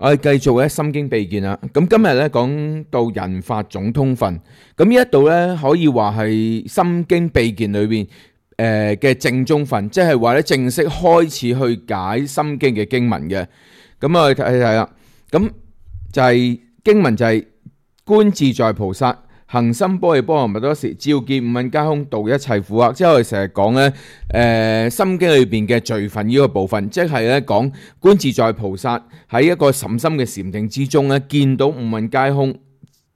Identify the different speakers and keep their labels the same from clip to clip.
Speaker 1: 我哋繼續咧心經秘見啦。咁今日咧講到人法總通分，咁呢一度咧可以話係心經秘見裏邊嘅正宗分，即係話咧正式開始去解心經嘅經文嘅。咁我哋睇睇啦。咁就係經文就係觀自在菩薩行深般若波羅蜜多時，照見五蘊皆空，度一切苦厄。即係我哋成日講咧，心經裏邊嘅罪分呢個部分，即係咧講觀自在菩薩喺一個甚深嘅禪定之中咧，見到五蘊皆空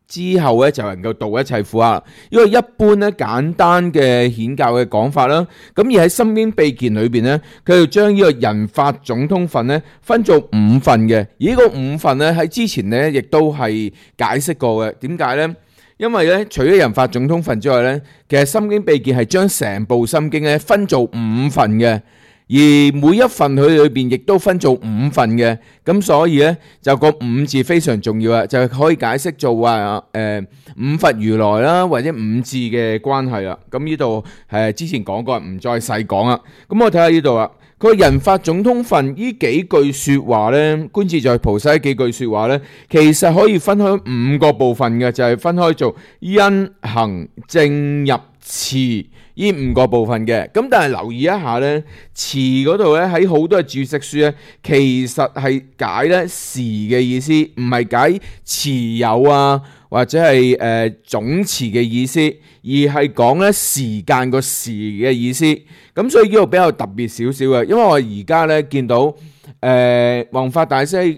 Speaker 1: 之後咧，就能夠度一切苦厄。呢個一般咧簡單嘅顯教嘅講法啦。咁而喺心經秘見裏邊咧，佢就將呢個人法總通分咧分做五份嘅。而呢個五份咧喺之前咧亦都係解釋過嘅。點解咧？因為咧，除咗人法總通分之外咧，其實心經秘見係將成部心經咧分做五份嘅，而每一份佢裏邊亦都分做五份嘅，咁所以咧就個五字非常重要啊，就係可以解釋做話五佛如來啦，或者五字嘅關係啦。咁呢度之前講過，唔再細講啦。咁我睇下呢度啦。佢人法總通分呢幾句說話呢，觀自在菩薩呢幾句說話呢，其實可以分開五個部分嘅，就係分開做因行證入持呢五個部分嘅。咁但係留意一下呢，持嗰度呢，喺好多嘅注釋書呢，其實係解呢時嘅意思，唔係解持有啊或者係總持嘅意思，而係講呢時間個時嘅意思。咁所以呢個比較特別少少嘅，因為我而家咧見到弘法大師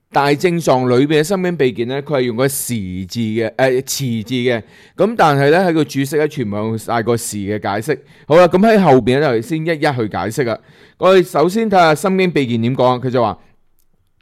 Speaker 1: 大正藏裏邊嘅心經秘見咧，佢係用個時字嘅持字嘅，咁但係咧喺個注釋咧全部用晒個時嘅解釋。好啦，咁喺後邊咧就先一一去解釋啦。我哋首先睇下心經秘見點講，佢就話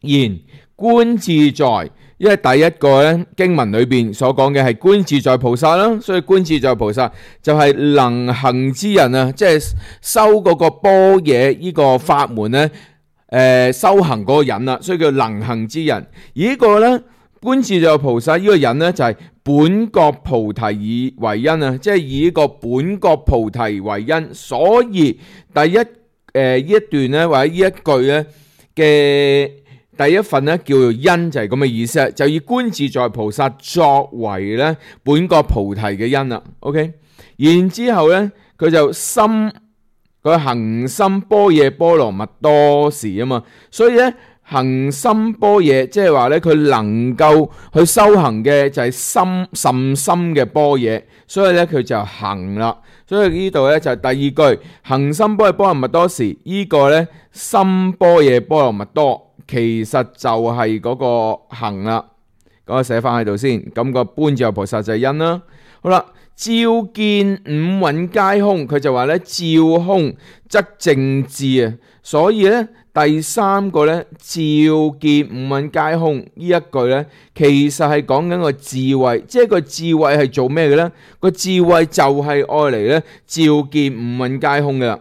Speaker 1: 言觀自在。因為第一個咧經文裏邊所講嘅係觀自在菩薩啦，所以觀自在菩薩就係能行之人啊，即係修嗰個般若呢個法門咧，修行嗰個人啦，所以叫能行之人。而呢個咧觀自在菩薩呢個人咧就係本覺菩提以為因啊，即係以呢個本覺菩提為因，所以第一呢一段咧或者呢一句咧嘅。第一份咧叫做因，就係咁嘅意思，就以觀自在菩薩作為咧本覺菩提嘅因啦。OK， 然之後咧佢就佢行深般若波羅蜜多時啊嘛，所以咧行深般若即係話咧佢能夠去修行嘅就係甚深嘅般若，所以咧佢就行啦。所以呢度咧就係第二句行深般若波羅蜜多時，呢個咧深般若波羅蜜多。其實就係嗰個行啦，咁我寫翻喺度先。咁個觀自在菩薩就係因啦。好啦，照見五蘊皆空，佢就話咧照空則正智啊。所以咧第三個咧照見五蘊皆空呢一句咧，其實係講緊個智慧，即係個智慧係做咩嘅咧？個智慧就係愛嚟咧照見五蘊皆空嘅啦。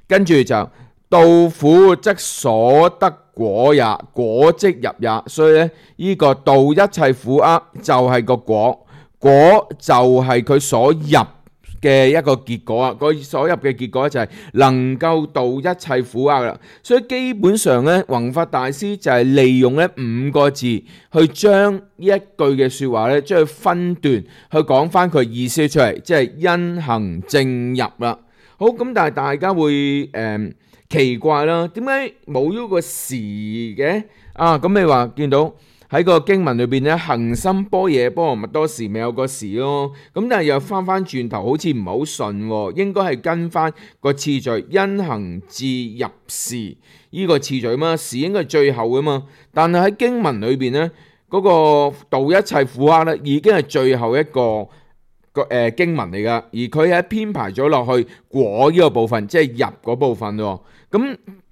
Speaker 1: 跟住就度苦則所得果也，果即入也。所以咧，呢個度一切苦厄就係個果，果就係佢所入嘅一個結果啊。佢所入嘅結果就係能夠度一切苦厄啦。所以基本上咧，弘法大師就係利用呢五個字去將呢一句嘅說話咧，將佢分段去講翻佢意思出嚟，即係因行證入啦。好，咁但係大家會奇怪啦，點解冇咗個時嘅啊？咁你話見到喺個經文裏邊咧，行深般若波羅蜜多時咪有個時咯？咁但係又翻轉頭，好似唔係好順，應該係跟翻個次序，因行至入時呢個次序嘛，時應該係最後噶嘛。但係喺經文裏邊咧，嗰個度一切苦厄咧，已經係最後一個經文嚟噶，而佢係編排咗落去果呢個部分，即係入嗰部分咯。咁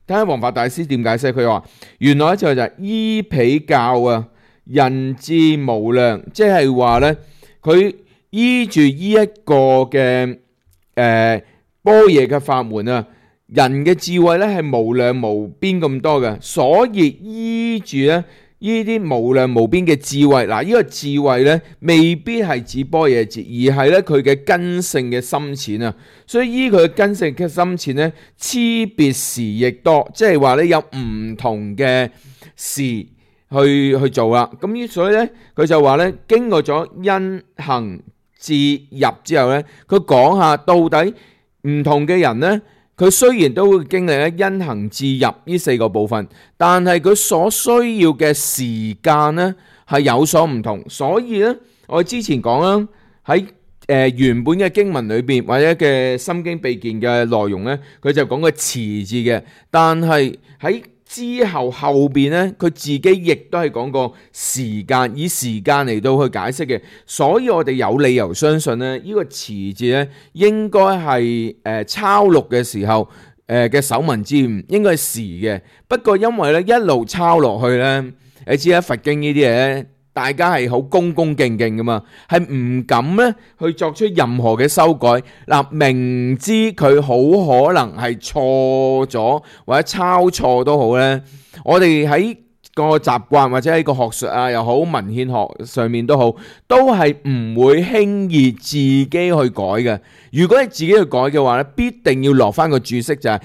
Speaker 1: 睇下弘法大師點解釋，佢話原來就係依彼教啊，人智無量，即係話咧，佢依住呢一個嘅般若嘅法門啊，人嘅智慧咧係無量無邊咁多嘅，所以依住咧呢啲無量無邊嘅智慧。嗱，呢個智慧咧未必係指般若智，而係咧佢嘅根性嘅深淺啊。所以依佢嘅根性嘅深淺咧，差別時亦多，即係話咧有唔同嘅事去做啦。咁所以咧佢就話咧，經過咗因行智入之後咧，佢講下到底唔同嘅人咧，佢雖然都會經歷咧因行智入呢4個部分，但係佢所需要嘅時間咧係有所唔同。所以咧，我之前講啦，喺原本嘅經文裏邊或者嘅心經秘見嘅內容咧，佢就講個遲字嘅，但係喺之後邊咧，佢自己亦都係講過時間，以時間嚟到去解釋嘅。所以我哋有理由相信咧，呢個遲字咧應該係抄錄嘅時候嘅首文之誤，應該係時嘅。不過因為咧一路抄落去咧，你知啦，佛經呢啲嘢咧，大家係好恭恭敬敬噶嘛，係唔敢咧去作出任何嘅修改。嗱，明知佢好可能係錯咗或者抄錯都好咧，我哋喺個習慣或者喺個學術啊又好，文獻學上面都好，都係唔會輕易自己去改嘅。如果係自己去改嘅話咧，必定要落翻個注釋就係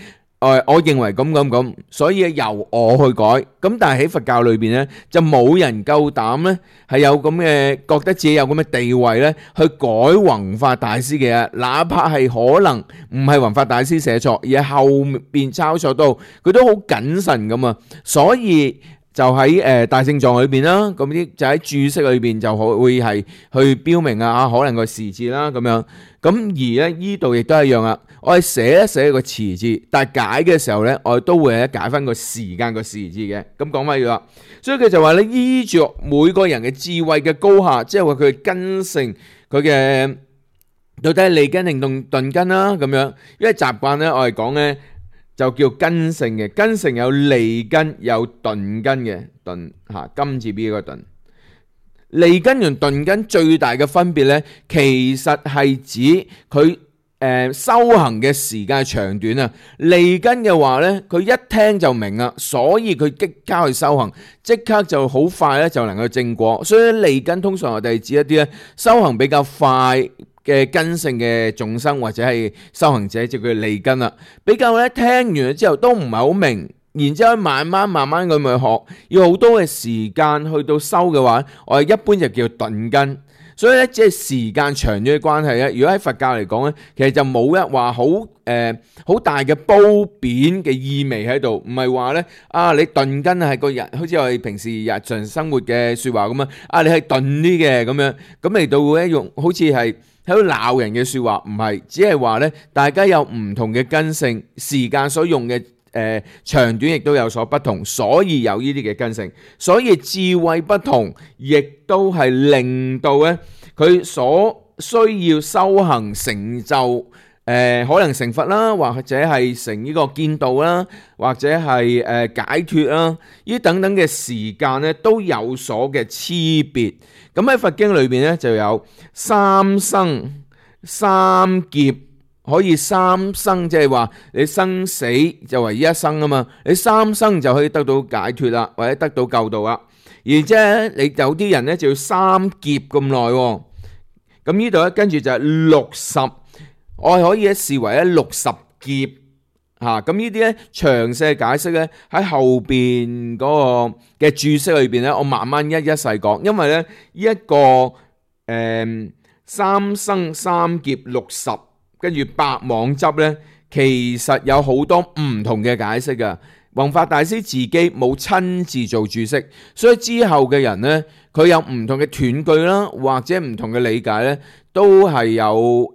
Speaker 1: 我認為咁，所以由我去改。咁但係喺佛教裏邊咧，就冇人夠膽咧係有咁嘅覺得自己有咁嘅地位咧，去改弘法大師嘅嘢，哪怕係可能唔係弘法大師寫錯，而係後邊抄錯都好，佢都好謹慎咁啊。所以就喺大聖藏裏邊啦，咁啲就喺注釋裏邊就會係去標明啊，可能個時字啦咁樣。咁而咧呢度亦都係一樣啦，我係寫一寫個遲字，但係解嘅時候咧，我哋都會解翻個時間個時字嘅。咁講翻要啦，所以佢就話咧，依著每個人嘅智慧嘅高下，即係話佢嘅根性，佢嘅到底係利根定鈍根啦咁樣。因為習慣咧，我哋講咧就叫根性嘅，根性有利根有鈍根嘅，鈍嚇金字邊個鈍。利根同鈍根最大嘅分別咧，其實係指佢修行嘅時間長短啊。利根嘅話咧，佢一聽就明啦，所以佢即刻去修行，即刻就好快咧就能夠正果。所以利根通常我哋指一啲咧修行比較快嘅根性嘅眾生或者係修行者，就叫利根啦。比較咧聽完咗之後都唔係好明，然之後慢慢咁去學，要好多嘅時間去到修嘅話，我哋一般就叫鈍根。所以咧，即係時間長咗嘅關係咧。如果喺佛教嚟講咧，其實就冇一話好大嘅褒貶嘅意味喺度，唔係話咧你鈍根係個人，好似我哋平時日常生活嘅説話咁啊，你係鈍啲嘅咁樣，咁嚟到咧用好似係喺度鬧人嘅説話，唔係，只係話咧大家有唔同嘅根性，時間所用嘅長短亦都有所不同，所以有呢啲嘅根性，所以智慧不同，亦都係令到咧佢所需要修行成就可能成佛啦，或者係成呢個見道啦，或者係解脫啦，呢等等嘅時間咧都有所嘅差別。咁喺佛經裏邊咧就有三生三劫。可以三生，即係話你生死就為一生啊嘛，你三生就可以得到解脫啦，或者得到救道啦。而且你有啲人咧就要三劫咁耐。咁呢度咧跟住就係60，我係可以視為咧60劫嚇。咁呢啲咧詳細解釋咧喺後邊嗰個嘅注釋裏邊咧，我慢慢一細講，因為咧呢一個三生三劫60。跟住百妄執咧，其實有好多唔同嘅解釋噶。弘法大師自己冇親自做注釋，所以之後嘅人咧，佢有唔同嘅斷句啦，或者唔同嘅理解咧，都係有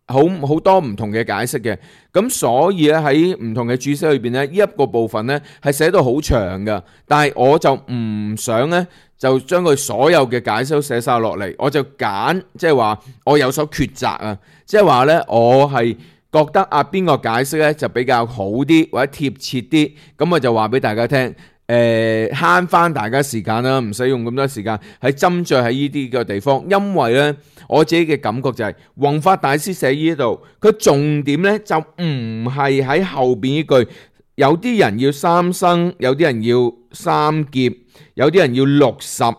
Speaker 1: 好多唔同嘅解釋嘅。咁所以咧喺唔同嘅注釋裏邊咧，呢一個部分咧係寫到好長噶，但係我就唔想咧就將佢所有嘅解釋都寫晒落嚟，我就揀即係話我有所抉擇啊，即係話咧我係覺得邊個解釋咧就比較好啲或者貼切啲，咁我就話俾大家聽，慳翻大家時間啦，唔使用咁多時間喺斟酌喺呢啲嘅地方，因為咧我自己嘅感覺就係弘法大師寫呢度，佢重點咧就唔係喺後邊呢句有啲人要三生，有啲人要三劫，有啲人要60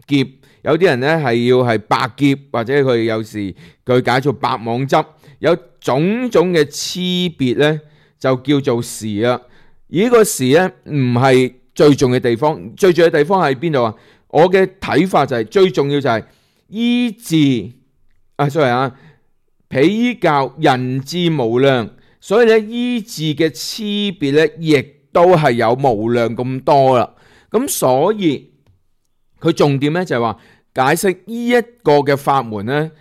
Speaker 1: 劫，有啲人呢係要係百劫，或者佢有時佢解做百網執，有種種嘅差別呢，就叫做時啊。而呢個時呢，唔係最重要嘅地方，最重要嘅地方喺邊度啊？我嘅睇法就係最重要就係醫治彼依教人智無量，所以咧醫治嘅差別咧，亦都係有無量咁多啦。咁所以佢重點咧就係話解釋呢一個嘅法門咧，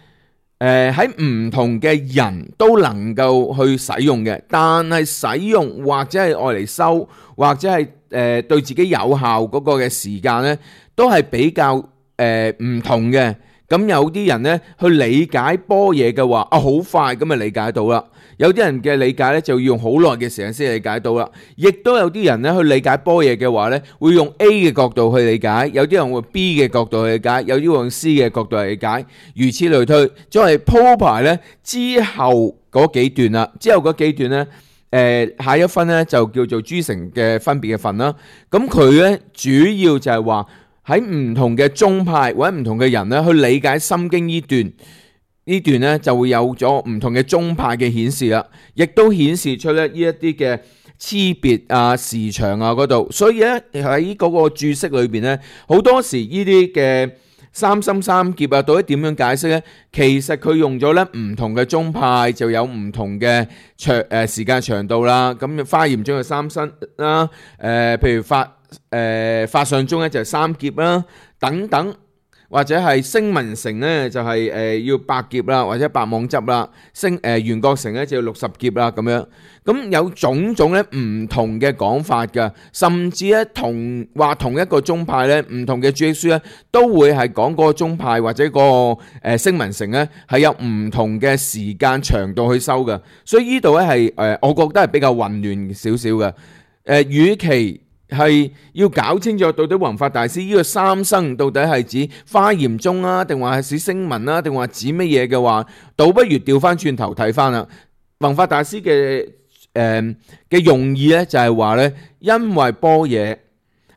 Speaker 1: 喺唔同嘅人都能夠去使用嘅，但係使用或者係愛嚟修，或者係對自己有效嗰個嘅時間咧，都係比較唔同嘅。咁有啲人咧去理解般若嘅話，好快咁就理解到啦。有啲人嘅理解咧就要用好耐嘅時間先理解到啦。亦都有啲人咧去理解般若嘅話咧，會用 A 嘅角度去理解，有啲人會 B 嘅角度去理解，有啲會用 C 嘅角度去理解，如此類推。作為鋪排咧之後嗰幾段啦，之後嗰幾段咧，下一分咧就叫做諸乘嘅分別嘅分啦。咁佢咧主要就係話，喺唔同嘅宗派或者唔同嘅人咧去理解心經呢段咧就會有咗唔同嘅宗派嘅顯示啦，亦都顯示出咧呢一啲嘅差別啊、時長啊嗰度。所以咧喺嗰個注釋裏邊咧，好多時呢啲嘅三生三劫啊，到底點樣解釋咧？其實佢用咗咧唔同嘅宗派就有唔同嘅時間長度啦。咁華嚴中有三生啦，譬如法相宗咧就係三劫啦，等等，或者係聲聞乘咧就係要百劫啦，或者百網執啦，緣覺乘咧就要60劫啦咁樣。咁有種種咧唔同嘅講法㗎，甚至咧同一個宗派咧，唔同嘅注釋書咧都會係講嗰個宗派或者個聲聞乘咧係有唔同嘅時間長度去修㗎。所以呢度咧係我覺得係比較混亂少少嘅。與其係要搞清楚到底弘法大師呢個三生到底係指華嚴宗啊，定話係指聲聞啊，定話指乜嘢嘅話，倒不如調翻轉頭睇翻啦。弘法大師嘅用意咧就係話咧，因為般若係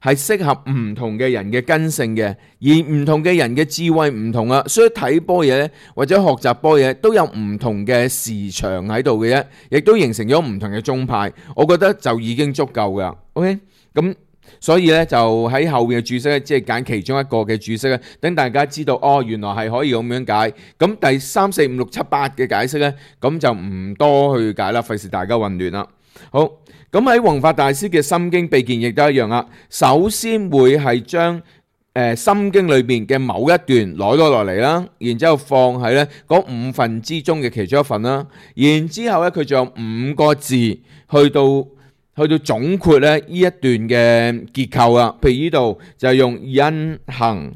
Speaker 1: 適合唔同嘅人嘅根性嘅，而唔同嘅人嘅智慧唔同啊，所以睇般若咧或者學習般若都有唔同嘅時長喺度嘅啫，亦都形成咗唔同嘅宗派。我覺得就已經足夠噶。OK。咁所以咧就喺後面嘅注釋咧，即係揀其中一個嘅注釋咧，等大家知道原來係可以咁樣解。咁第3、4、5、6、7、8嘅解釋咧，咁就唔多去解啦，費事大家混亂啦。好，咁喺弘法大師嘅心經秘見亦都一樣啦。首先會係將心經裏邊嘅某一段攞咗落嚟啦，然之後放喺咧嗰5分之中嘅其中一份啦，然之後咧佢仲有5個字去到總括咧呢一段嘅結構啦。譬如呢度就係用因行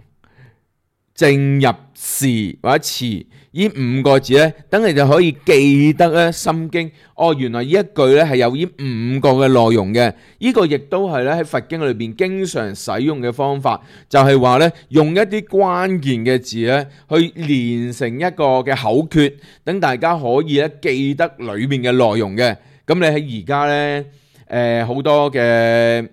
Speaker 1: 正入時或者詞呢5個字咧，等你就可以記得咧心經。原來呢一句咧係有呢5個嘅內容嘅。呢個亦都係咧喺佛經裏邊經常使用嘅方法，就係話咧用一啲關鍵嘅字咧去連成一個嘅口訣，等大家可以咧記得裏面嘅內容嘅。咁你喺而家咧好多嘅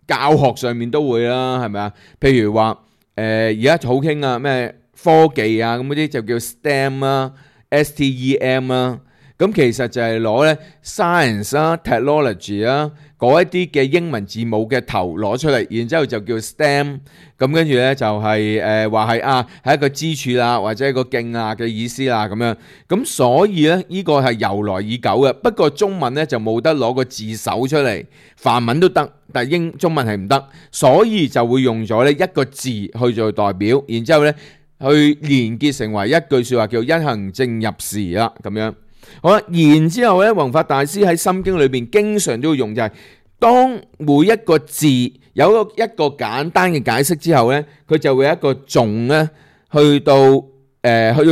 Speaker 1: 教學上面都會啦，係咪啊？譬如話而家好興啊，咩科技啊咁嗰啲就叫 STEM 啦，STEM 啦。咁其實就係攞咧 science 啦、technology 啦嗰一啲嘅英文字母嘅頭攞出嚟，然之後就叫 STEM。咁跟住咧就係話係一個支柱啦，或者一個徑啊嘅意思啦咁樣。咁所以咧呢個係由來已久嘅。不過中文咧就冇得攞個字首出嚟，梵文都得，但係中文係唔得，所以就會用咗呢一個字去做代表，然之後咧去連結成為一句説話叫因行正入時啦咁樣。好啦，然之後咧，弘法大師喺心經裏邊經常都會用，就係當每一個字有一個簡單嘅解釋之後咧，佢就會有一個頌咧去到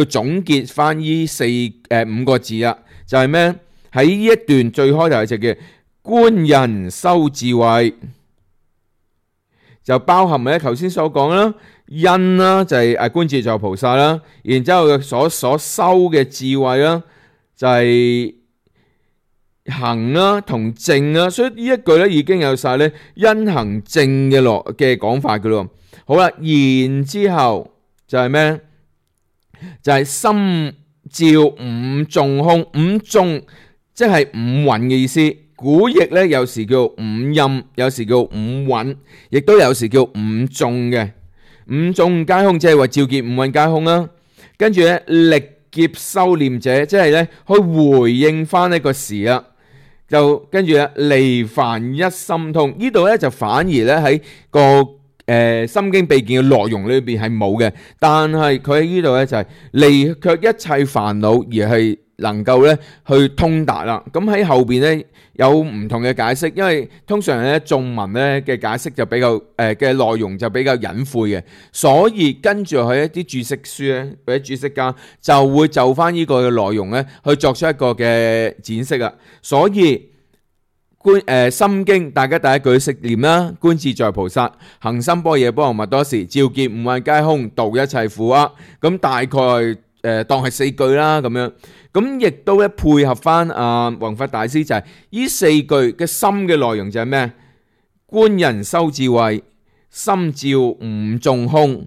Speaker 1: 總結翻呢5個字啦，就係咩？喺呢一段最開頭就叫觀人修智慧，就包含咧頭先所講啦，因啦就係觀自在菩薩啦，然之後所修嘅智慧啦。就係行啦同正啦，所以呢一句咧已經有晒咧因行正嘅講法噶咯。好啦，然之後就係咩？就係心照五眾空，五眾即係五蘊嘅意思。古譯咧有時叫五陰，有時叫五蘊，亦都有時叫五眾嘅。五眾皆空，即係話照見五蘊皆空啦。跟住咧力劫修念者，即係咧去回應翻呢個時啦。就跟住咧離煩一心通，呢度咧就反而咧喺個心經秘見嘅內容裏邊係冇嘅，但係佢喺呢度咧就係離卻一切煩惱而係能夠咧去通達啦。咁喺後邊咧有唔同嘅解釋，因為通常咧頌文咧嘅解釋就比較嘅內容就比較隱晦嘅，所以跟住佢一啲注釋書咧或者注釋家就會就翻呢個嘅內容咧去作出一個嘅展釋啊。所以心經大家第一句識念啦，觀自在菩薩行深般若波羅蜜多時，照見五蘊皆空，度一切苦厄。咁大概當係4句啦咁樣。咁亦都咧配合翻弘法大師就係呢4句嘅心嘅內容就係咩？觀人修智慧，心照五眾空。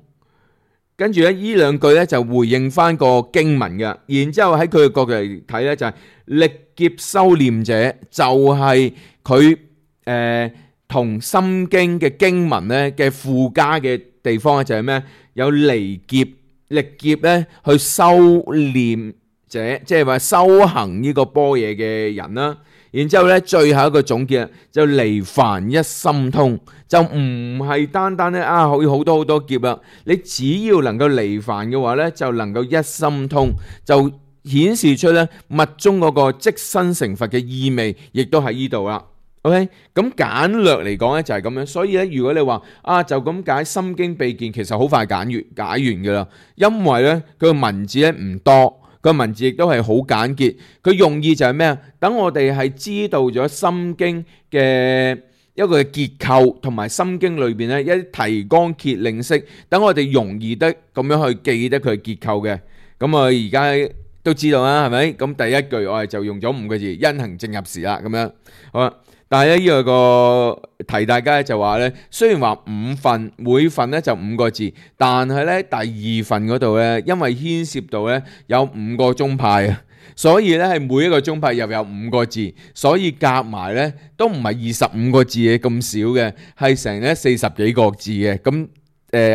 Speaker 1: 跟住咧呢2句咧就回應翻個經文嘅，然之後喺佢嘅角度嚟睇咧就係力劫修念者，就係佢同心經嘅經文咧嘅附加嘅地方咧就係咩？有離劫力劫咧去修念者，即係話修行呢個般若嘅人啦。然之後咧，最後一個總結就離煩一心通，就唔係單單咧可以好多好多劫啦。你只要能夠離煩嘅話咧，就能夠一心通，就顯示出咧密宗嗰個即身成佛嘅意味，亦都喺呢度啦。OK， 咁簡略嚟講咧就係咁樣。所以咧，如果你話就咁解心經秘見，其實好快解完噶啦，因為咧佢個文字咧唔多。個文字亦都係好簡潔，佢用意就係咩啊？等我哋係知道咗心經嘅一個結構，同埋心經裏邊咧一啲提綱挈領式，等我哋容易得咁樣去記得佢結構嘅。咁我而家都知道啦，係咪？咁第一句我哋就用咗5個字，因行正入時啦，咁樣好啦。但係咧呢個提大家就話咧，雖然話5份，每份咧就5個字，但係咧第2份嗰度咧，因為牽涉到咧有5個宗派啊，所以咧係每一個宗派又有5個字，所以夾埋咧都唔係25個字嘅咁少嘅，係成咧40幾個字嘅。咁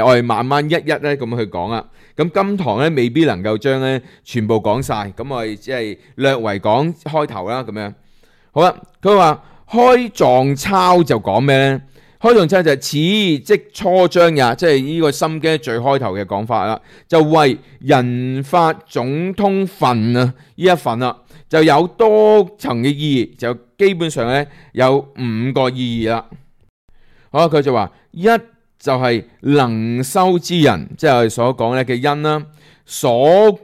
Speaker 1: 我哋慢慢一一咧咁去講啦。咁今堂咧未必能夠將咧全部講晒，咁我哋只係略為講開頭啦，咁樣好啦。佢話開藏抄就講咩呢？開藏抄就係此即初章也，即係呢個心經最開頭嘅講法啦。就為人法總通分啊，呢一份啦，就有多層嘅意義，就基本上咧有5個意義啦。好，佢就話一就係能修之人，即係我哋所講咧嘅因啦，所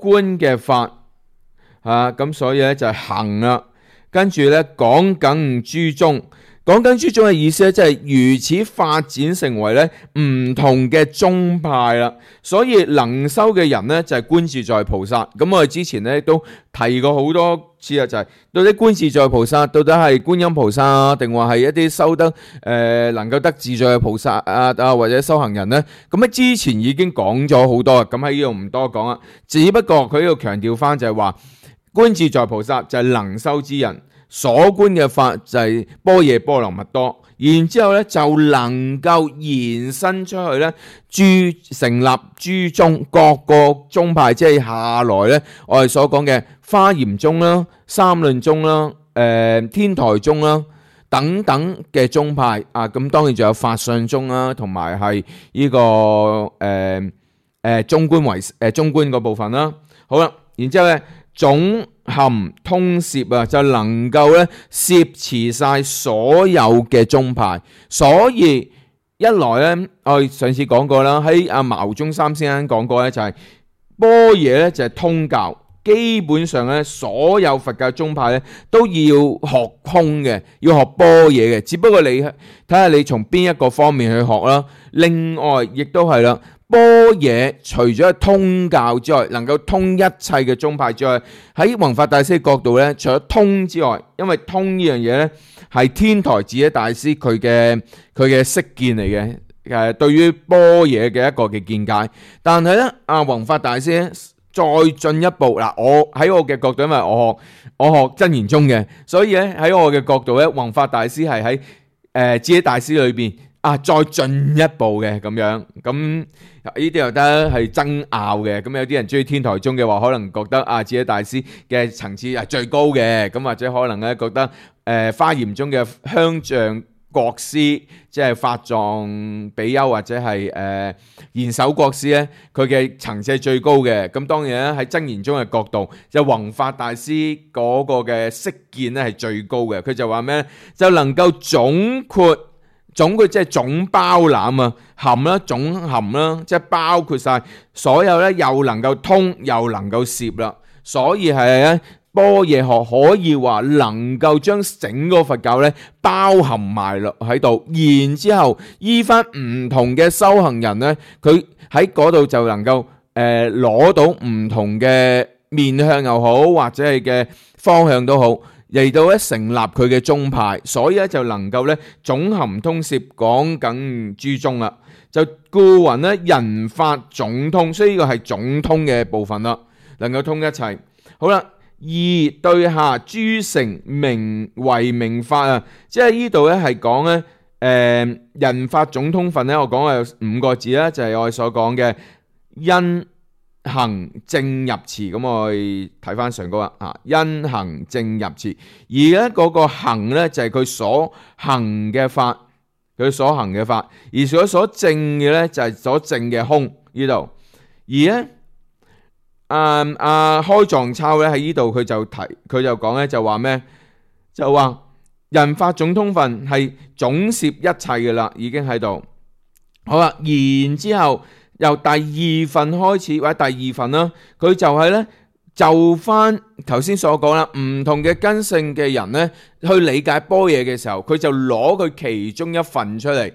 Speaker 1: 觀嘅法咁所以咧就係行啦。跟住咧講緊諸宗，講緊諸宗嘅意思咧，即係如此發展成為咧唔同嘅宗派啦。所以能修嘅人咧就係觀自在菩薩。咁我哋之前咧都提過好多次啦，就係到底觀自在菩薩到底係觀音菩薩啊，定話係一啲修得能夠得自在嘅菩薩啊或者修行人咧？咁喺之前已經講咗好多，咁喺呢度唔多講啦。只不過佢呢度強調翻就係話，觀自在菩薩就係能修之人，所觀嘅法就係般若波羅蜜多，然之後咧就能夠延伸出去咧，成立諸宗，各個宗派，即係下來咧我哋所講嘅華嚴宗啦、三論宗啦、天台宗啦等等嘅宗派啊。咁當然仲有法相宗啦，同埋係呢個中觀嗰部分啦。好啦，然之後咧總含通攝啊，就能夠咧攝持晒所有嘅宗派。所以一來咧，我哋上次講過啦，喺牟宗三先生講過咧，就係般若咧就係通教，基本上咧所有佛教宗派咧都要學空嘅，要學般若嘅，只不過你睇下你從邊一個方面去學啦。另外亦都係啦，般若除咗係通教之外，能夠通一切嘅宗派之外，喺弘法大師嘅角度咧，除咗通之外，因為通呢樣嘢咧係天台智者大師佢嘅識見嚟嘅，對於般若嘅一個嘅見解。但係咧，弘法大師咧再進一步嗱，我喺我嘅角度，因為我學真言宗嘅，所以咧喺我嘅角度咧，弘法大師係喺智者大師裏邊。再進一步嘅咁樣，咁呢啲又得係爭拗嘅。咁有啲人中意天台宗嘅話，可能覺得智者大師嘅層次係最高嘅，咁或者可能咧覺得華嚴宗嘅香象國師，即係法藏比丘或者係賢首國師咧，佢嘅層次係最高嘅。咁當然咧喺真言宗嘅角度，就弘法大師嗰個嘅識見咧係最高嘅。佢就話咩咧？就能夠總括即係總包攬啊，含啦，總含啦，即係包括晒所有咧，又能夠通又能夠攝啦，所以係咧般若學可以話能夠將整個佛教咧包含埋落喺度，然之後依翻唔同嘅修行人咧，佢喺嗰度就能夠攞到唔同嘅面向又好，或者係嘅方向都好。嚟到咧成立佢嘅宗派，所以咧就能夠咧總含通攝講緊諸宗啦，就故云咧人法總通，所以呢個係總通嘅部分啦，能夠通一切。好啦，二對下諸乘名為名法啊，即係呢度咧係講咧人法總通分咧，我講有5個字啦，就係我哋所講嘅因行正入持。咁我哋睇翻上嗰個因行正入持，而咧嗰個行咧就係佢所行嘅法，佢所行嘅法，而佢所證嘅咧就係所證嘅空呢度。而咧開藏抄咧喺呢度佢就講咧就話咩？就話人法總通分係總攝一切嘅啦，已經喺度。好啦，然之後由第2份開始，或者第2份啦，佢就係咧就翻頭先所講啦，唔同嘅根性嘅人咧去理解般若嘅時候，佢就攞佢其中一份出嚟，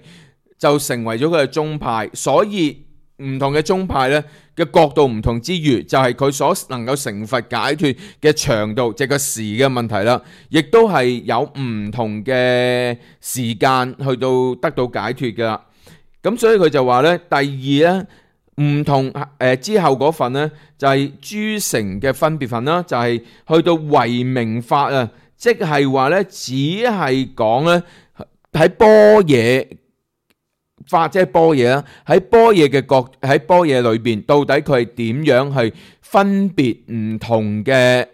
Speaker 1: 就成為咗佢嘅宗派。所以唔同嘅宗派咧嘅角度唔同之餘，就係佢所能夠成佛解脫嘅長度，即係個時嘅問題啦，亦都係有唔同嘅時間去到得到解脫㗎啦。咁所以佢就話咧，第2咧唔同之後嗰份咧就係諸乘嘅分別份啦，就係去到唯名法啊，即係話咧只係講咧喺般若法，即係般若啦，喺般若嘅喺般若裏邊，到底佢係點樣去分別唔同嘅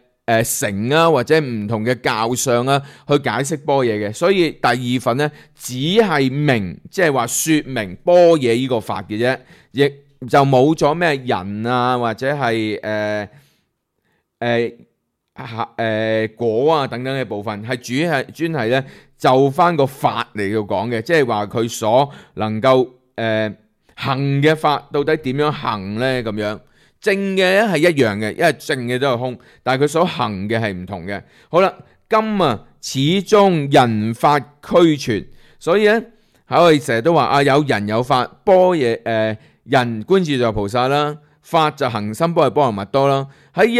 Speaker 1: 乘啊，或者唔同嘅教相啊，去解釋般若嘅。所以第2份咧只係明，即係話說明般若呢個法嘅啫，亦就冇咗咩人啊，或者係果啊等等嘅部分，係專係咧就翻個法嚟到講嘅，即係話佢所能夠行嘅法到底點樣行咧咁樣。正嘅係一樣嘅，因為正嘅都係空，但係佢所行嘅係唔同嘅。好啦，今始終人法俱全，所以咧我哋成日都話有人有法，般若人觀自在菩薩啦，法就行深般若波羅蜜多啦。喺一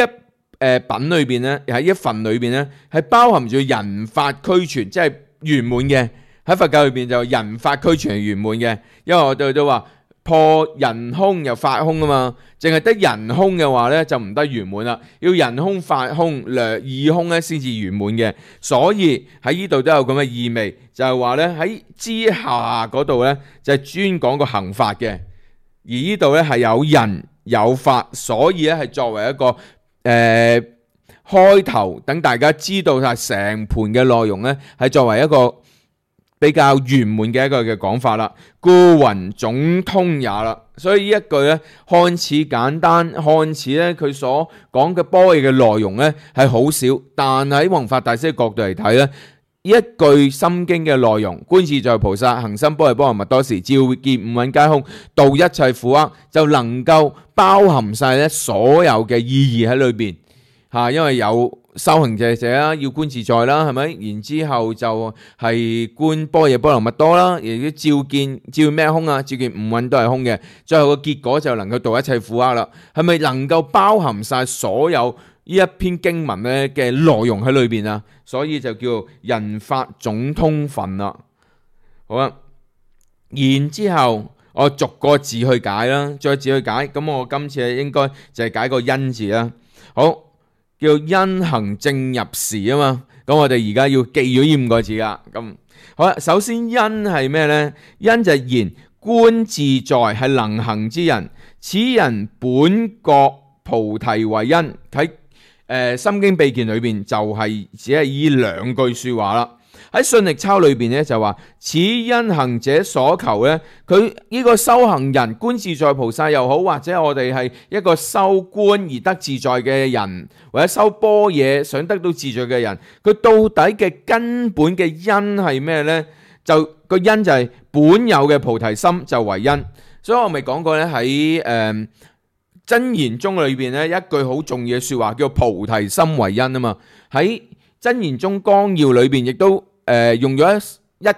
Speaker 1: 品裏邊咧，喺一份裏邊咧，係包含住人法俱全，即係圓滿嘅。喺佛教裏邊就人法俱全係圓滿嘅，因為我哋都話破人空又法空啊嘛，淨係得人空嘅話咧就唔得圓滿啦，要人空法空二空咧先至圓滿嘅。所以喺呢度都有咁嘅意味，就係話咧喺之下嗰度咧就係專講個行法嘅，而呢度咧係有人有法，所以咧係作為一個開頭，等大家知道晒成盤嘅內容咧，係作為一個比較圓滿嘅一個嘅講法啦。故云總通也啦。所以呢一句咧看似簡單，看似咧佢所講嘅般若嘅內容咧係好少，但喺弘法大師嘅角度嚟睇咧，一句心經嘅內容，觀自在菩薩行深般若波羅蜜多時，照見五蘊皆空，度一切苦厄，就能夠包含晒咧所有嘅意義喺裏邊。因為有修行者啦，要觀自在啦，係咪？然之後就係觀般若波羅蜜多啦，亦都照見咩空啊？照見五蘊都係空嘅。最後個結果就能夠度一切苦厄啦。係咪能夠包含晒所有呢一篇經文咧嘅內容喺裏邊啊？所以就叫人法總通分啦。好啦，然之後我逐個字去解啦，再字去解。咁我今次應該就係解個因字啦。好。叫因行正入時啊嘛，咁我哋而家要記咗呢5個字啦。咁好啦，首先因係咩呢？因就係言觀自在係能行之人，此人本覺菩提為因。喺心經秘鍵裏邊就係只係呢2句說話啦。喺信力鈔裏邊咧就話，此因行者所求咧，佢呢個修行人觀自在菩薩又好，或者我哋係一個修觀而得自在嘅人，或者修般若想得到自在嘅人，佢到底嘅根本嘅因係咩呢？就個因就係本有嘅菩提心就為因。所以我咪講過咧，喺真言宗裏邊咧一句好重要嘅說話叫菩提心為因啊嘛。喺真言宗綱要裏邊亦都用咗1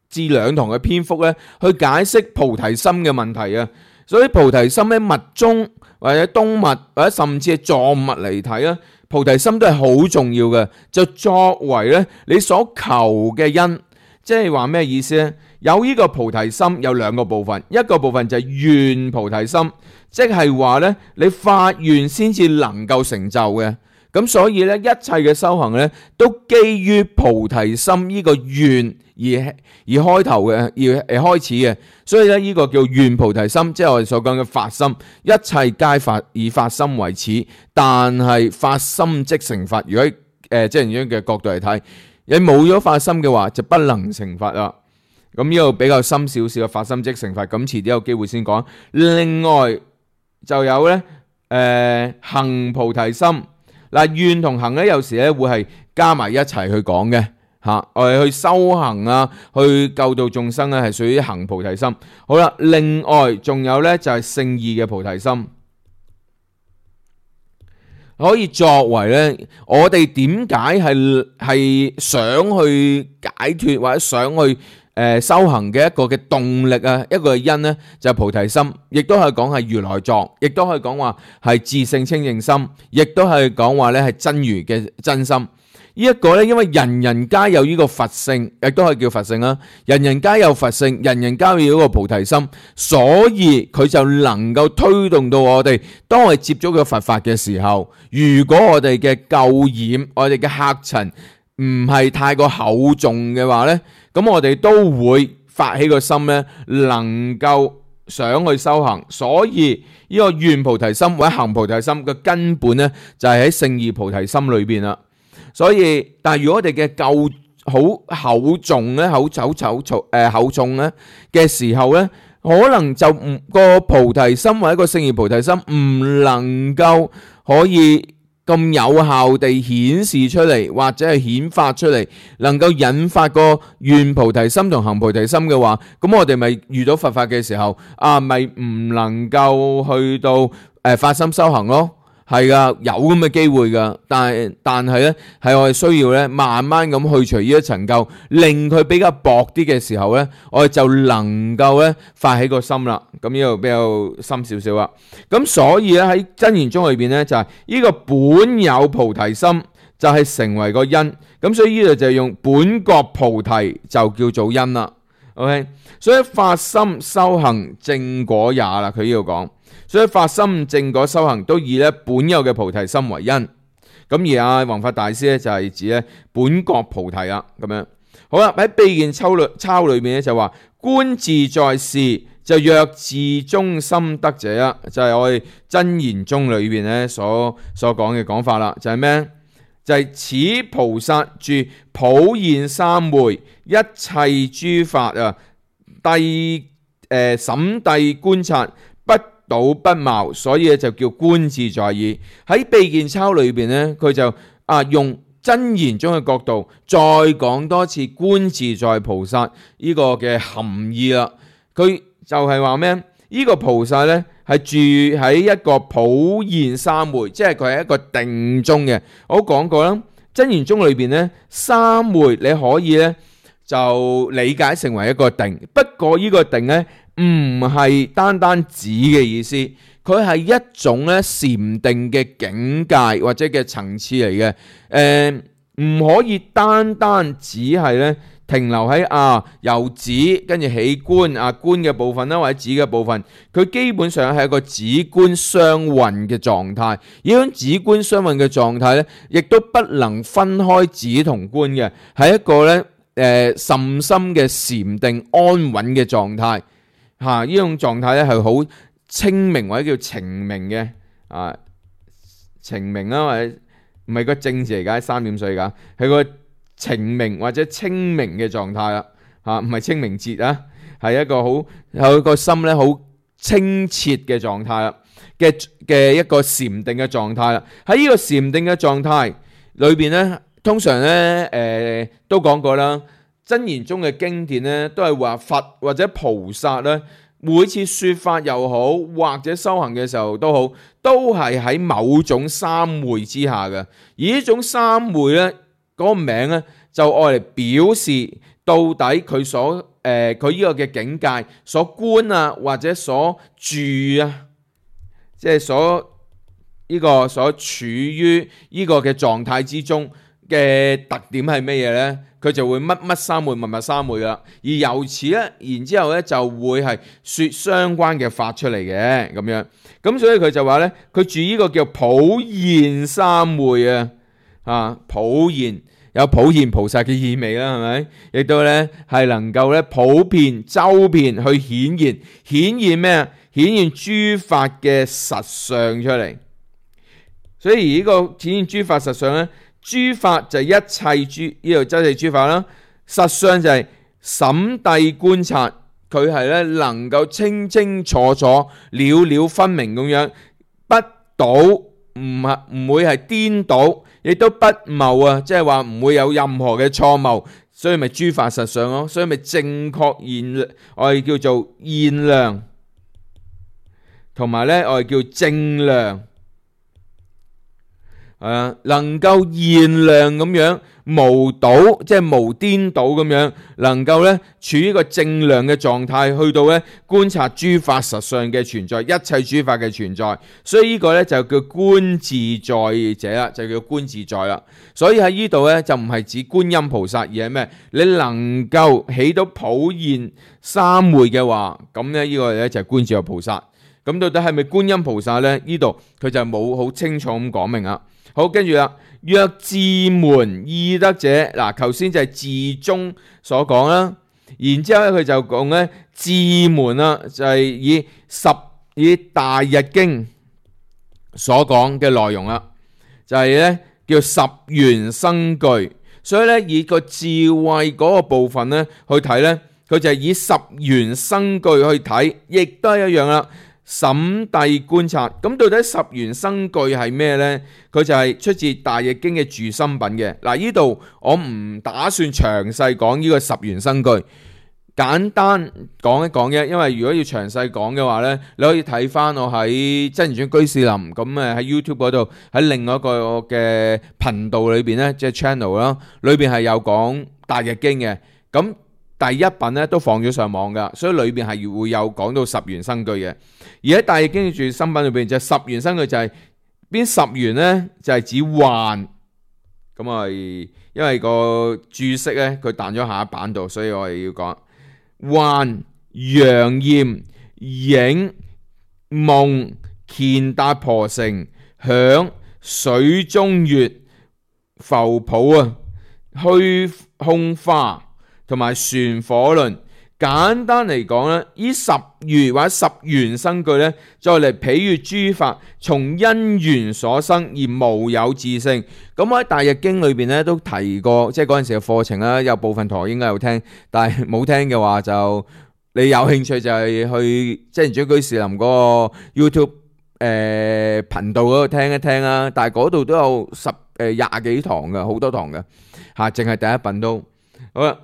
Speaker 1: 至2堂嘅篇幅咧，去解釋菩提心嘅問題啊。所以菩提心喺密宗或者東密或者甚至係藏密嚟睇啊，菩提心都係好重要嘅，就作為咧你所求嘅因。即係話咩意思呢？有呢個菩提心有2個部分，一個部分就係願菩提心，即係話咧你發願先至能夠成就嘅。咁所以咧，一切嘅修行咧，都基於菩提心呢個願而開頭嘅，而開始嘅。所以咧，呢個叫願菩提心，即係我哋所講嘅發心。一切皆發以發心為始，但係發心即成佛。如果即係咁樣嘅角度嚟睇，你冇咗發心嘅話，就不能成佛啦。咁呢個比較深少少嘅發心即成佛，咁遲啲有機會先講。另外就有咧，行菩提心。嗱，願同行咧，有時咧會係加埋一齊去講嘅嚇。我哋去修行啊，去救度眾生咧，係屬於行菩提心。好啦，另外仲有咧就係勝義嘅菩提心，可以作為咧我哋點解係想去解脫或者想去修行嘅一個嘅動力啊，一個嘅因呢，就係菩提心，亦都係講係如來藏，亦都可以講話係自性清淨心，亦都係講話咧係真如嘅真心。呢一個咧，因為人人皆有呢個佛性，亦都係叫佛性啦。人人皆有佛性，人人皆有呢個菩提心，所以佢就能夠推動到我哋，當我哋接觸咗佛法嘅時候，如果我哋嘅垢染，我哋嘅客塵唔係太過厚重嘅話咧，咁我哋都會發起個心咧，能夠想去修行。所以呢個願菩提心或者行菩提心嘅根本咧，就係喺勝義菩提心裏邊啦。所以，但係如果我哋嘅垢好厚重咧，厚重咧嘅時候咧，可能就個菩提心或者個勝義菩提心唔能夠可以咁有效地顯示出嚟，或者係顯發出嚟，能夠引發個願菩提心同行菩提心嘅話，咁我哋咪遇到佛法嘅時候咪唔能夠去到發心修行咯。係噶，有咁嘅機會噶，但係咧，係我哋需要咧慢慢咁去除呢一層垢，令佢比較薄啲嘅時候咧，我哋就能夠咧發起個心啦。咁呢度比較深少少啦。咁所以咧喺真言宗裏邊咧就係呢個本有菩提心就係成為個因。咁所以呢度就用本覺菩提就叫做因啦。OK， 所以發心修行正果也啦。佢呢度講。所以發心正果修行都以咧本有嘅菩提心為因，咁而阿弘法大師咧就係指咧本覺菩提啦，咁樣好啦。喺秘鍵鈔裏面咧就話觀自在事就若自中心得者啦，就係我哋真言宗裏邊咧所講嘅講法啦，就係咩？就係此菩薩住普現三昧，一切諸法審諦觀察不倒不貌，所以就叫觀自在耳。喺秘鍵鈔裏邊咧，佢就用真言宗嘅角度再講多次觀自在菩薩呢個嘅含義啦。佢就係話咩？呢個菩薩呢係住喺一個普現三昧，即係佢係一個定中嘅。我講過啦，真言宗裏邊呢，三昧你可以呢就理解成為一個定，不過呢個定呢唔係單單指嘅意思，佢係一種呢禪定嘅境界或者嘅層次嚟嘅。唔可以單單只係呢停留喺由指跟住起觀觀嘅部分啦，或者指嘅部分，佢基本上係一個指觀相混嘅狀態。呢種指觀相混嘅狀態呢，亦都不能分開指同觀嘅，係一個呢甚深嘅禪定安穩嘅狀態。呢種狀態呢係好清明或者叫澄明嘅澄明啦，或者唔係個正字嚟㗎，3點水㗎，係個澄明或者清明嘅狀態啦，唔係清明節啊，係一個好有個心咧好清澈嘅狀態啦，嘅一個禪定嘅狀態啦。喺呢個禪定嘅狀態裏邊咧，通常咧都講過啦，真言宗嘅經典咧都係話佛或者菩薩咧，每次説法又好，或者修行嘅時候都好，都係喺某種三昧之下嘅。而呢種三昧咧，嗰個名咧就愛嚟表示到底佢呢個嘅境界所觀或者所住即係所處於呢個嘅狀態之中嘅特點係咩嘢呢？佢就會乜乜三昧、乜乜三昧噶啦。而由此咧，然之後咧就會係説相關嘅法出嚟嘅咁樣。咁所以佢就話咧，佢住呢個叫普現三昧普現有普現菩薩嘅意味啦，係咪？亦都咧係能夠咧普遍周遍去顯現咩啊？顯現諸法嘅實相出嚟。所以呢個顯現諸法實相咧，諸法就係一切呢度真係諸法啦。實相就係審諦觀察，佢係咧能夠清清楚楚、了了分明咁樣，不倒唔會係顛倒，亦都不謬即係話唔會有任何嘅錯謬，所以咪諸法實相咯，所以咪正確我哋叫做現量，同埋咧我哋叫正量。能夠現量咁樣無倒，即係無顛倒咁樣，能夠咧處於一個正量嘅狀態，去到咧觀察諸法實相嘅存在，一切諸法嘅存在。所以呢個咧就叫觀自在者啦，就叫觀自在啦。所以喺呢度咧就唔係指觀音菩薩，而係咩？你能夠起到普現三昧嘅話，咁咧呢個咧就係觀自在菩薩。咁到底係咪觀音菩薩咧？呢度佢就冇好清楚咁講明啦。好，跟住啦，若自門意得者，嗱，頭先就係自宗所講啦，然之後咧佢就講咧自門啦，就係以大日經所講嘅內容啦，就係咧叫十緣生具，所以咧以個智慧嗰個部分咧去睇咧，佢就係以十緣生具去睇，亦都係一樣啦。審諦觀察，咁到底十緣生具係咩呢？佢就係出自大易經嘅住心品嘅。嗱，呢度我唔打算詳細講呢個十緣生具，簡單講一講嘅。因為如果要詳細講嘅話呢，你可以睇翻我喺真言宗居士林咁喺 YouTube 嗰度，喺另外一個嘅頻道裏邊呢，即係 channel 啦，裏邊係有講大易經嘅。咁第一品咧都放咗上網噶，所以裏邊係會有講到十緣生具嘅。而喺大易經住心品裏邊就十緣生具就係邊十緣呢？就係指幻。咁我係因為個注釋咧佢彈咗下一版度，所以我係要講幻、陽焰、影、夢、乾達婆城、響、水中月、浮泡虛空花同埋旋火輪。簡單嚟講咧，呢十緣或者十緣生具咧，再嚟比喻諸法從因緣所生而無有自性。咁我喺大易經裏邊咧都提過，即係嗰陣時嘅課程啦，有部分同學應該有聽，但係冇聽嘅話就你有興趣就係去真言宗居士林嗰個 YouTube 頻道嗰度聽一聽啦。但係嗰度都有廿幾堂嘅，好多堂嘅嚇，淨係第一品都好啦。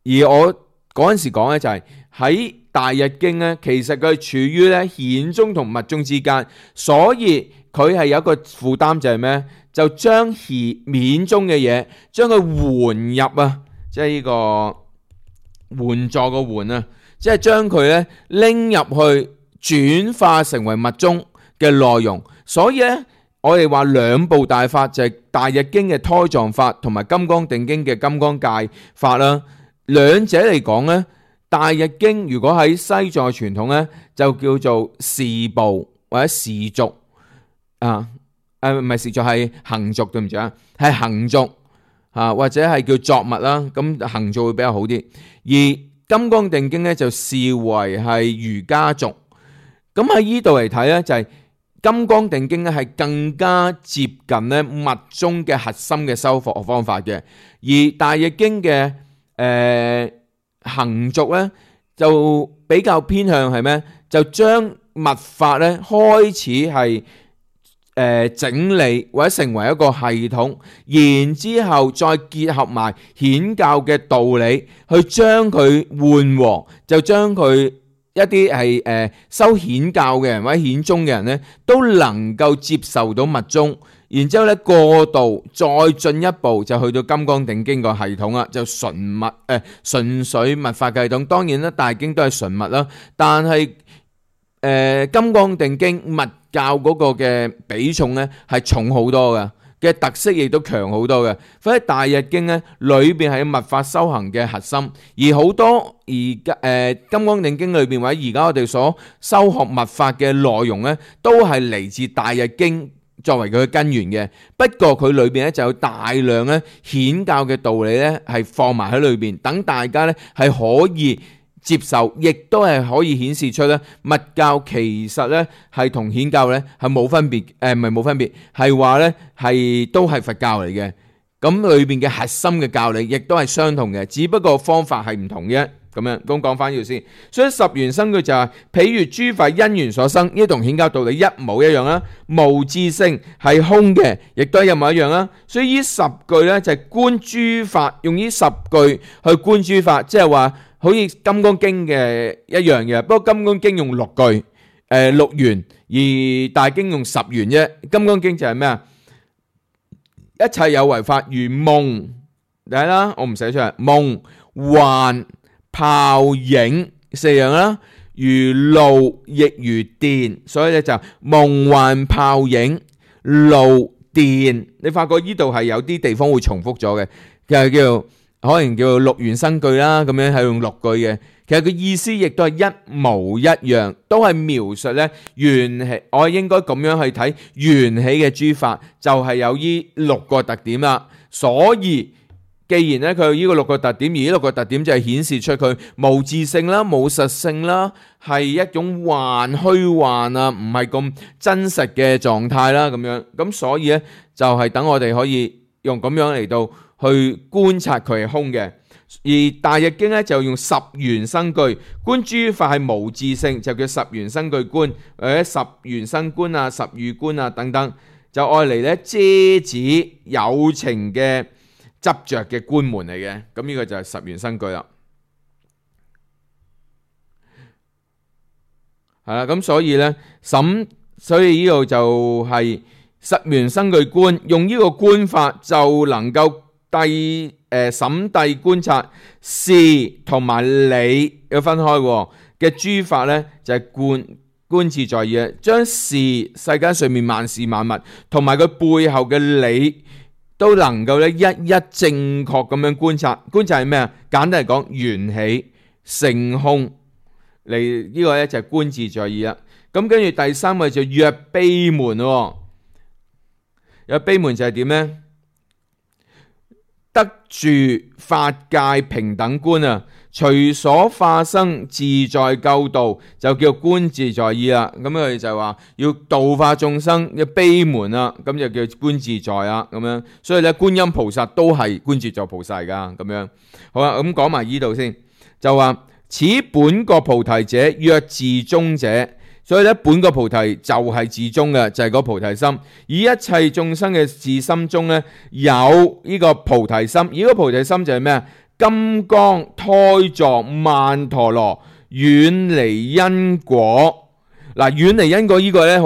Speaker 1: 而我嗰陣時講咧就係喺大日經咧，其實佢係處於咧顯宗同密宗之間，所以佢係有一個負擔就係咩？就將顯宗嘅嘢將佢換入啊，即係呢個援助個援啊，即係將佢咧拎入去轉化成為密宗嘅內容。所以咧我哋話兩部大法就係大日經嘅胎藏法同埋金剛定經嘅金剛界法啦。兩者嚟講咧，大日經如果喺西藏傳統咧就叫做事部或者事續啊，唔係事續係行續，對唔住啊，係行續啊，或者係叫作物啦。咁行續會比較好啲。而金剛定經咧就視為係瑜伽續。咁喺呢度嚟睇咧，就係金剛定經咧係更加接近咧密宗嘅核心嘅修復方法嘅，而大日經嘅行續咧就比較偏向係咩？就將密法咧開始係整理或者成為一個系統，然之後再結合埋顯教嘅道理，去將佢緩和，就將佢一啲係修顯教嘅人或者顯宗嘅人咧，都能夠接受到密宗。然之後咧過渡再進一步就去到金剛定經個系統啦，就純粹密法嘅系統。當然啦，大經都係純密啦，但係金剛定經密教嗰個嘅比重咧係重好多嘅特色，亦都強好多嘅。所以大日經咧裏邊係密法修行嘅核心，而好多金剛定經裏邊或者而家我哋所修學密法嘅內容咧，都係嚟自大日經作為佢嘅根源嘅。不過佢裏邊咧就有大量咧顯教嘅道理咧係放埋喺裏邊，等大家咧係可以接受，亦都係可以顯示出咧密教其實咧係同顯教咧係冇分別，唔係冇分別，係話咧係都係佛教嚟嘅。咁裏邊嘅核心嘅教理亦都係相同嘅，只不過方法係唔同啫。咁樣咁講翻呢度先，所以十緣生句就係譬如諸法因緣所生，呢同顯教道理一模一樣啦。無自性係空嘅，亦都係一模一樣啦。所以呢十句咧就係觀諸法，用呢十句去觀諸法，即係話好似金剛經嘅一樣嘅。不過金剛經用六句六緣，而大經用十緣啫。金剛經就係咩啊？一切有為法如夢，睇啦，我唔寫出嚟，夢幻泡影四樣啦，如露亦如電，所以咧就夢幻泡影露電。你發覺呢度係有啲地方會重複咗嘅，就叫可能叫六緣生句啦，咁樣係用六句嘅。其實個意思亦都係一模一樣，都係描述咧緣起。我應該咁樣去睇緣起嘅諸法，就係有呢六個特點啦。所以既然咧佢有呢個六個特點，而呢六個特點就係顯示出佢無自性啦、冇實性啦，係一種虛幻啊，唔係咁真實嘅狀態啦，咁樣。咁所以咧就係等我哋可以用咁樣嚟到去觀察佢係空嘅。而大日經咧就用十緣生句，觀諸法係無自性，就叫十緣生句觀，或者十緣生觀啊、十喻觀啊等等，就愛嚟咧遮止有情嘅執着嘅觀門嚟嘅。咁呢個就係十緣生句啦。係啦，咁所以咧所以呢度就係十緣生句觀，用呢個觀法就能夠審諦觀察事同埋理要分開嘅諸法咧，就係觀自在意，將事世間上面萬事萬物同埋佢背後嘅理都能夠咧一一正確咁樣觀察。觀察係咩啊？簡單嚟講，緣起性空嚟，呢個咧就係觀自在意啦。咁跟住第三個就若悲門，若悲門就係點咧？得住法界平等觀啊，隨所化生自在救度，就叫觀自在意啦。咁佢就話要度化眾生嘅悲門啦，咁就叫觀自在啦。咁樣，所以咧觀音菩薩都係觀自在菩薩噶。咁樣好啦，咁講埋呢度先，就話此本覺菩提者，若自宗者。所以咧，本覺菩提就係自宗嘅，就係個菩提心。以一切眾生嘅自心中咧，有呢個菩提心。而個菩提心就係咩啊？金剛胎座曼陀羅，遠離因果。嗱，遠離因果呢個呢，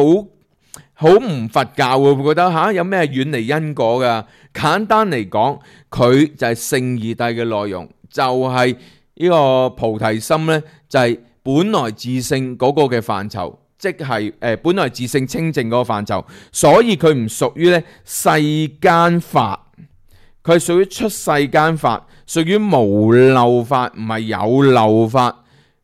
Speaker 1: 好唔佛教喎，會覺得有咩遠離因果噶？簡單嚟講，佢就係聖義諦嘅內容，就係呢個菩提心呢，就係本來自性嗰個嘅範疇，即係本來自性清淨嗰個範疇，所以佢唔屬於咧世間法，佢係屬於出世間法，屬於無漏法，唔係有漏法。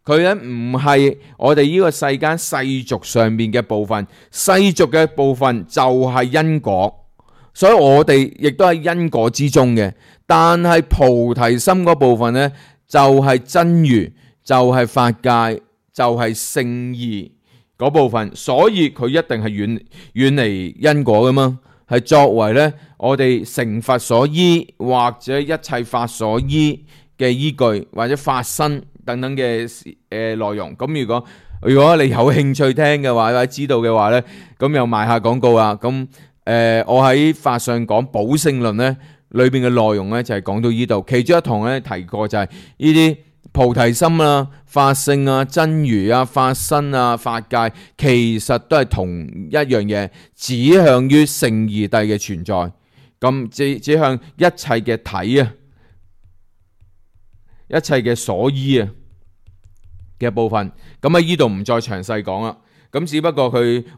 Speaker 1: 佢咧唔係我哋呢個世間世俗上面嘅部分，世俗嘅部分就係因果，所以我哋亦都喺因果之中嘅。但係菩提心嗰部分呢，就係真如，就係法界，就係聖義嗰部分，所以佢一定係遠離因果噶嘛，係作為呢我哋成佛所依或者一切法所依嘅依據，或者法身等等嘅內容。咁如果你有興趣聽嘅話，或者知道嘅話呢，咁又賣下廣告啊。咁我喺法上講寶性論呢裏邊嘅內容呢，就係講到呢度，其中一堂呢提過就係呢啲菩提心啊、法性啊、真如啊、法身啊、法界，其實都係同一樣嘢，指向於聖義諦嘅存在。咁指向一切嘅體啊，一切嘅所依啊嘅部分。咁喺呢度唔再詳細講啦。咁只不過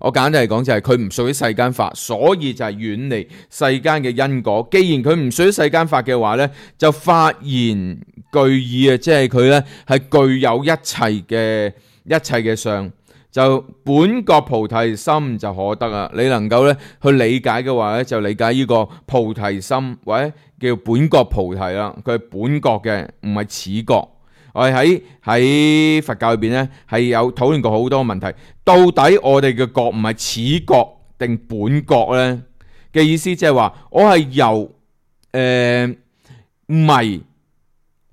Speaker 1: 我簡單嚟講就係佢唔屬於世間法，所以就係遠離世間嘅因果。既然佢唔屬於世間法嘅話呢，就發言具義啊，即係佢呢係具有一切嘅相，就本覺菩提心就可得啊。你能夠呢去理解嘅話呢，就理解呢個菩提心或者叫本覺菩提啦。佢係本覺嘅，唔係此覺。我哋喺佛教裏邊咧係有討論過好多問題，到底我哋嘅覺唔係此覺定本覺呢？嘅意思即係話我係由迷，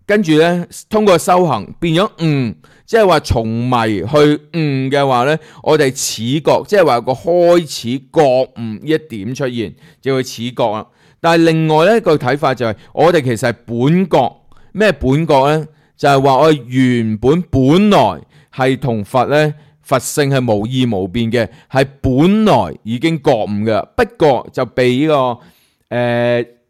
Speaker 1: 跟住呢通過修行變咗悟，即係話從迷去悟嘅話呢，我哋此覺即係話有個開始覺悟呢一點出現，就係此覺啦。但係另外一個睇法就係我哋其實係本覺，咩本覺呢？就係話我原本來係同佛性係無異無變嘅，係本來已經覺悟嘅，不過就被呢個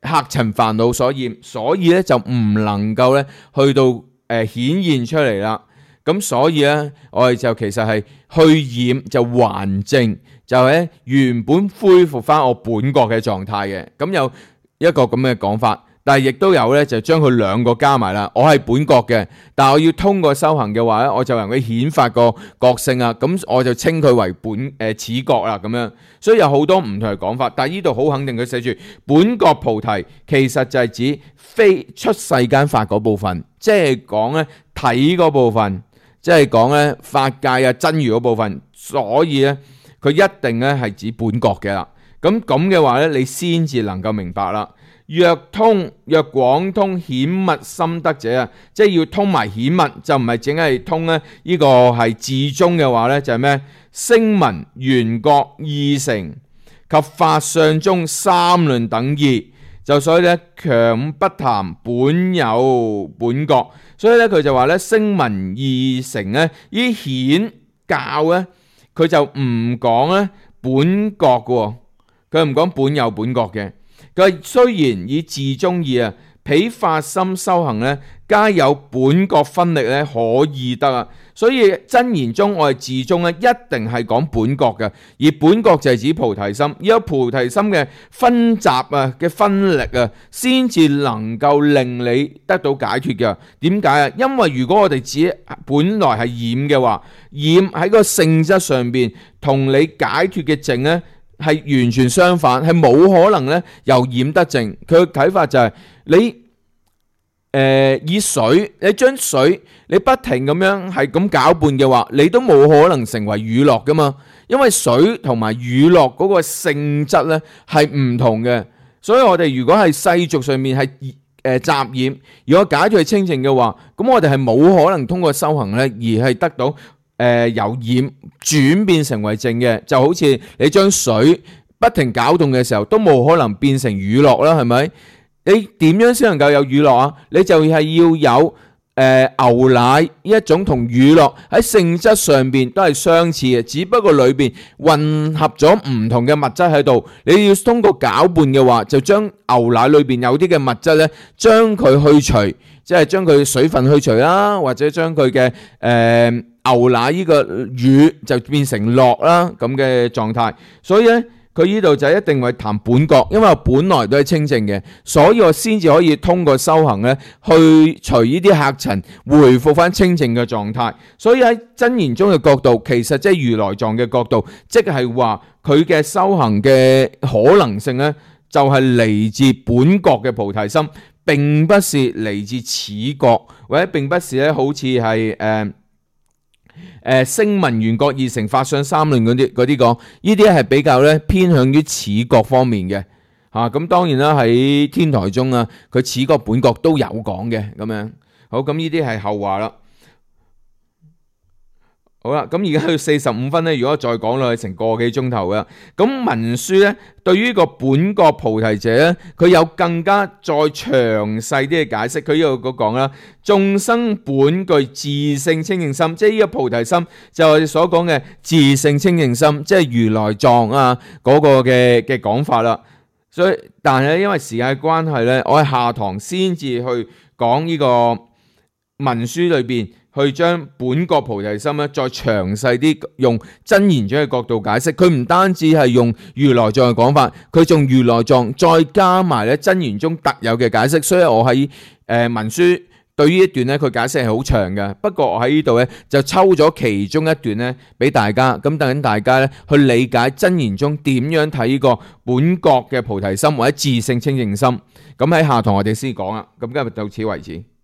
Speaker 1: 客塵煩惱所染，所以咧就唔能夠咧去到顯現出嚟啦。咁所以咧我哋就其實係去染就還淨，就係原本恢復翻我本覺嘅狀態嘅。咁有一個咁嘅講法。但係亦都有咧，就將佢兩個加埋啦。我係本覺嘅，但係我要通過修行嘅話咧，我就能夠顯發個覺性啊。咁我就稱佢為此覺啦。咁樣，所以有好多唔同嘅講法。但係呢度好肯定，佢寫住本覺菩提，其實就係指非出世間法嗰部分，即係講咧體嗰部分，即係講咧法界啊真如嗰部分。所以咧，佢一定咧係指本覺嘅啦。咁嘅話咧，你先至能夠明白啦。若廣通顯密心得者啊，即係要通埋顯密，就唔係淨係通呢個係至中嘅話呢，就係咩？聲聞緣覺意成及法相中三論等義，就所以呢，強不談本有本覺，所以呢，佢就話呢，聲聞意成呢，依顯教呢，佢就唔講呢本覺嘅，佢唔講本有本覺嘅。佢雖然以自中義啊，彼法心修行咧，皆有本覺分力咧，可以得啊。所以真言中我哋自中咧，一定係講本覺嘅，而本覺就係指菩提心，有菩提心嘅分集啊嘅分力啊，先至能夠令你得到解脫嘅。點解啊？因為如果我哋只本來係染嘅話，染喺個性質上邊同你解脫嘅淨咧，係完全相反，係冇可能咧由染得淨。佢嘅睇法就係你以水，你將水你不停咁樣係咁攪拌嘅話，你都冇可能成為乳酪噶嘛。因為水同埋乳酪嗰個性質咧係唔同嘅，所以我哋如果係世俗上面係雜染，如果解脫係清淨嘅話，咁我哋係冇可能通過修行咧而係得到由染轉變成為淨嘅。就好似你將水不停攪動嘅時候，都冇可能變成乳酪啦，係咪？你點樣先能夠有乳酪啊？你就係要有牛奶呢一種同乳酪喺性質上邊都係相似嘅，只不過裏邊混合咗唔同嘅物質喺度。你要通過攪拌嘅話，就將牛奶裏邊有啲嘅物質呢，將佢去除，即係將佢水分去除啦，或者將佢嘅牛奶呢個乳就變成酪啦咁嘅狀態。所以呢，佢呢度就一定會談本國，因為我本來都係清淨嘅，所以我先至可以通過修行咧，去除呢啲客塵，回復翻清淨嘅狀態。所以喺真言宗嘅角度，其實即係如來藏嘅角度，即係話佢嘅修行嘅可能性咧，就係嚟自本國嘅菩提心，並不是嚟自此國，或者並不是咧，好似係聲聞緣覺二乘法相三論嗰啲講，呢啲係比較咧偏向於此國方面嘅嚇。咁當然啦，喺天台宗啊，佢此國本國都有講嘅咁樣。好，咁呢啲係後話啦。好啦，咁而家去45分咧，如果再講落去成個幾鐘頭嘅，咁文殊咧對於個本國菩提者咧，佢有更加再詳細啲嘅解釋。佢呢度講啦，眾生本具自性清淨心，即係呢個菩提心就係我哋所講嘅自性清淨心，即係如來藏啊嗰個嘅講法啦。所以但係咧，因為時間嘅關係咧，我喺下堂先至去講呢個文殊裏邊。去將本國菩提心咧，再詳細啲用真言宗嘅角度解釋。佢唔單止係用如來藏嘅講法，佢仲如來藏再加埋咧真言宗特有嘅解釋。所以我喺文殊對於一段咧，佢解釋係好長嘅。不過我喺呢度咧就抽咗其中一段咧俾大家，咁等緊大家咧去理解真言宗點樣睇呢個本國嘅菩提心或者自性清淨心。咁喺下堂我哋先講啦。咁今日到此為止。